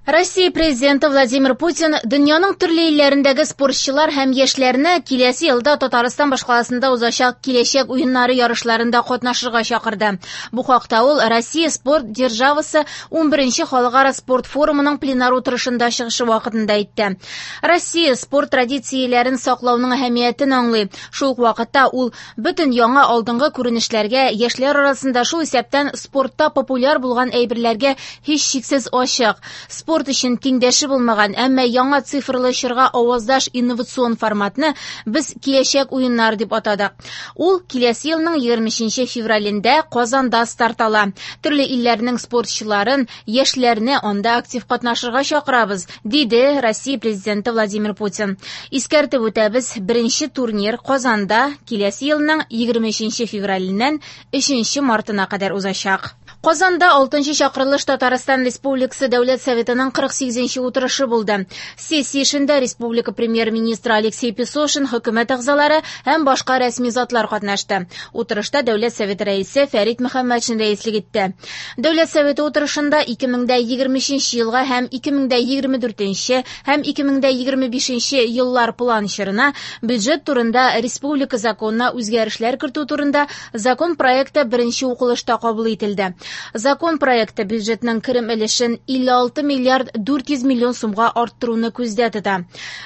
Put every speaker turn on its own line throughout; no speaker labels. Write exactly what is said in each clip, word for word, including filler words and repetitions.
Россия президенты Владимир Путин дөньяның төрле илләрендәге спортчылар һәм яшьләрне киләсе елда Татарстан башкаласында узачак Киләчәк уеннары ярышларында катнашырга чакырды. Бу хакта ул Россия спорт державасы унберенче халыкара спорт форумының пленар утырышында чыгышы вакытында әйтте. Россия спорт традицияләрен саклауның әһәмиятен аңлый. Шул ук вакытта ул бөтен яңа алдынгы күренешләргә, яшьләр арасында шул исәптән спортта популяр булган әйберләргә һичшиксез ачык. Спорт өчен тиңдәше булмаган, әмма яңа цифрлы чорга аваздаш инновацион форматны без Киләчәк уеннары дип атадык. Ул киләсе елның егерме өченче февралендә Казанда старт ала. Төрле илләрнең спортчыларын, яшьләрне анда актив катнашырга чакырабыз, диде Россия президенты Владимир Путин. Искәртеп үтәбез, беренче турнир Казанда киләсе елның егерме өченче февраленнән өченче мартына кадәр узачак. Казанда алтынчы чакырылыш Татарстан Республикасы Дәүләт Советының кырык сигезенче утырышы булды. Сессия эшендә республика премьер-министры Алексей Песошин, хөкүмәт әгъзалары һәм башка рәсми затлар катнашты. Утырышта Дәүләт Советы рәисе Фәрит Мөхәммәтшин рәислек итте. Дәүләт Советы утырышында ике мең дә егерме өченче елга һәм ике мең дә егерме дүртенче һәм ике мең дә егерме бишенче еллар план чорына бюджет турында республика законына үзгәрешләр кертү турында закон проекты беренче укылышта кабул ителде. Закон проекты бюджетның керем өлешен илле алты миллиард дүрт йөз миллион сумга арттыруны күздә тота.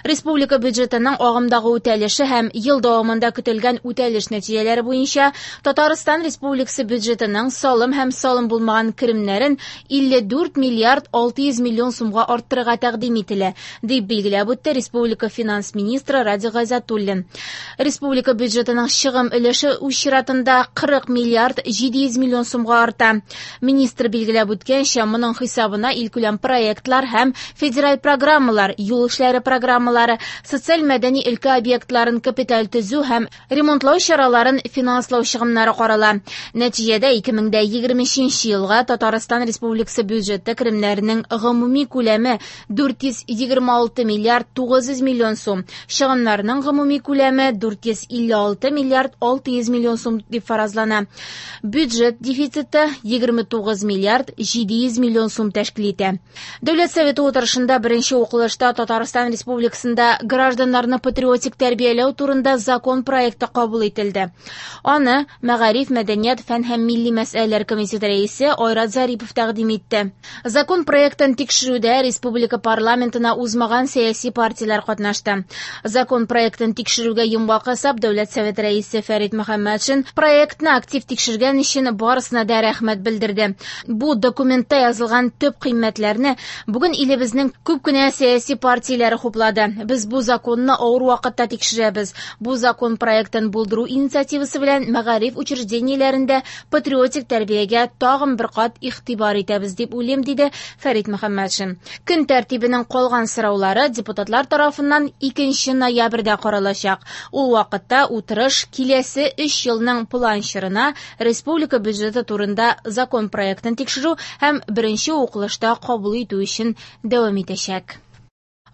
Республика бюджетының агымдагы үтәлеше һәм ел дәвамында көтелгән үтәлеш нәтиҗәләре буенча Татарстан Республикасы бюджетының салым һәм салым булмаган керемнәрен илле дүрт миллиард алты йөз миллион сумга арттырырга тәкъдим ителә, дип билгеләп үтте республика финанс министры Радик Гайзатуллин. Республика бюджетының чыгым өлеше үз чиратында кырык миллиард җиде йөз миллион сумга арта. Министр билгеләп үткәнчә, моның хисабына илкүләм проектлар һәм федераль программалар, юл эшләре программалары, социаль-мәдәни өлкә объектларын капиталь төзү һәм ремонтлау чараларын финанслау чыгымнары карала. Нәтиҗәдә ике мең дә егерме өченче елга Татарстан Республикасы бюджеты керемнәренең гомуми күләме дүрт йөз егерме алты миллиард тугыз йөз миллион сум, чыгымнарның гомуми күләме дүрт йөз илле алты миллиард алты йөз миллион сум дип фаразлана. Бюджет дефициты егерме тугыз миллиард җиде йөз миллион сум тәшкил итә. Дәүләт Советы утырышында беренче укылышта Татарстан Республикасында гражданнарны патриотик тәрбияләү турында закон проекты кабул ителде. Аны Мәгариф, мәдәният, фән һәм милли мәсьәләләр комитеты рәисе Айрат Зарипов тәкъдим итте. Закон проектын тикшерүдә республика парламентына узмаган сәяси партияләр катнашты. Закон проектын тикшерүгә йомгак ясап, Дәүләт Советы рәисе Фәрит Мөхәммәтшин проектны актив тикшергән өчен барысына да рәхмәт белдерде. Бу документта язылган төп кыйммәтләрне бүген илебезнең күп кенә сәяси партияләре хуплады. Без бу законны авыр вакытта тикшерәбез. Бу закон проектын булдыру инициативасы белән мәгариф учреждениеләрендә патриотик тәрбиягә тагын бер кат игътибар итәбез дип уйлыйм, диде Фәрит Мөхәммәтшин. Көн тәртибенең калган сораулары депутатлар тарафыннан икенче ноябрьдә каралачак. Ул вакытта утырыш киләсе өч елның план чорына республика бюджеты турында закон проектын тикшерү һәм беренче укылышта кабул итү өчен дәвам итәчәк.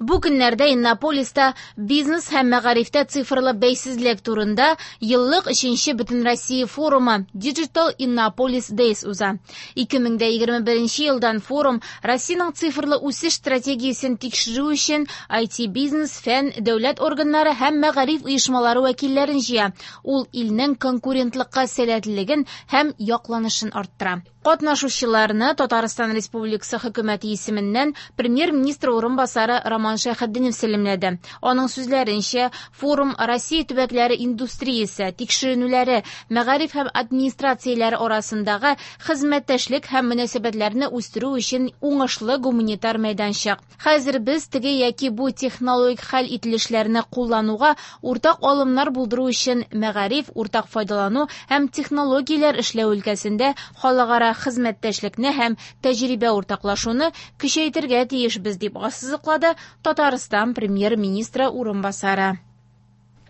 Бу көннәрдә Иннополиста бизнес һәм мәгарифтә цифрлы бәйсезлек турында еллык өченче Бөтенроссия форумы Digital Innopolis Days уза. Ике мең дә егерме беренче елдан форум Россиянең цифрлы үсеш стратегиясен тикшерү өчен ай ти бизнес, фән, дәүләт органнары һәм мәгариф оешмалары вәкилләрен җыя. Ул илнең конкурентлыкка сәләтлелеген һәм якланышын арттыра. Катнашучыларны Татарстан Республикасы хөкүмәте исеменнән премьер-министр урынбасары Роман Шәйхетдинов сәламләде. Аның сүзләренчә, форум Россия төбәкләре индустриясе, тикшеренүләре, мәгариф һәм администрацияләре арасындагы хезмәттәшлек һәм мөнәсәбәтләрне үстерү өчен уңышлы гуманитар мәйданчык. Хәзер без теге яки бу технологик хәл ителешләрне куллануга уртак алымнар булдыру өчен мәгариф, уртак файдалану һәм технологияләр эшләү өлкәсендә халыкара хезмәттәшлекне һәм тәҗрибә уртаклашуны көчәйтергә тиешбез, дип ассызыклады Татарстан премьер-министры урынбасары.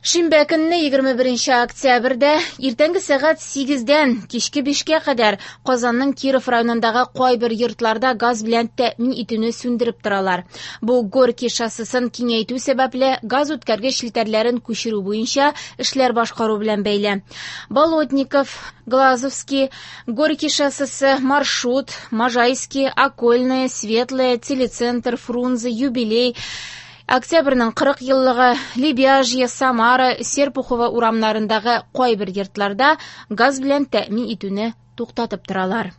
Шимбә көнне егерме беренче октябрьдә иртәнге сәгать сигездән кичке бишкә кадәр Казанның Киров районындагы кайбер йортларда газ белән тәэмин итүне сүндереп торалар. Бу Горький шоссесын киңәйтү сәбәпле газ үткәргеч челтәрләрен күчерү буенча эшләр башкару белән бәйле. Болотников, Глазовский, Горький шоссесы, Маршрут, Можайский, Окольная, Светлая, Телецентр, Фрунзе, Юбилей, Октябрьнең кырык еллыгы, Лебяжье, Самара, Серпухова урамнарындагы кайбер йортларда газ белән тәэмин итүне туктатып торалар.